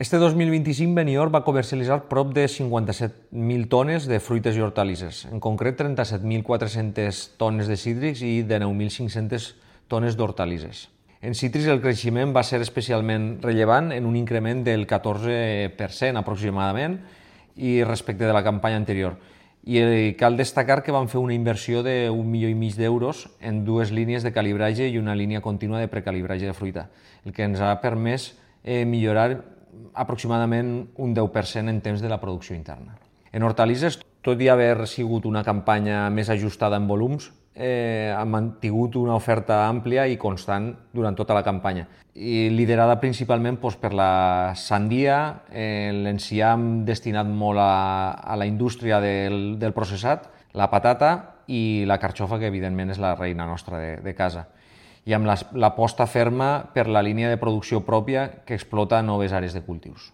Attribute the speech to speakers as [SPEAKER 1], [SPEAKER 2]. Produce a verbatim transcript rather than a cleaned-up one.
[SPEAKER 1] Este dos mil vint-i-cinc Benidorm va comercialitzar prop de cinquanta-set mil tones de fruites i hortalisses, en concret trenta-set mil quatre-centes tones de cítrics i dinou mil cinc-centes tones d'hortalisses. En cítrics el creixement va ser especialment rellevant en un increment del catorze per cent aproximadament i respecte de la campanya anterior. I cal destacar que vam fer una inversió d'un milió i mig d'euros en dues línies de calibratge i una línia contínua de precalibratge de fruita, el que ens ha permès eh, millorar aproximadament un deu per cent en temps de la producció interna. En hortalisses, tot i haver sigut una campanya més ajustada en volums, eh, ha mantingut una oferta àmplia i constant durant tota la campanya, i liderada principalment doncs, per la sandia, eh, l'enciam destinat molt a, a la indústria del, del processat, la patata i la carxofa, que evidentment és la reina nostra de, de casa, i amb l'aposta ferma per la línia de producció pròpia que explota noves àrees de cultius.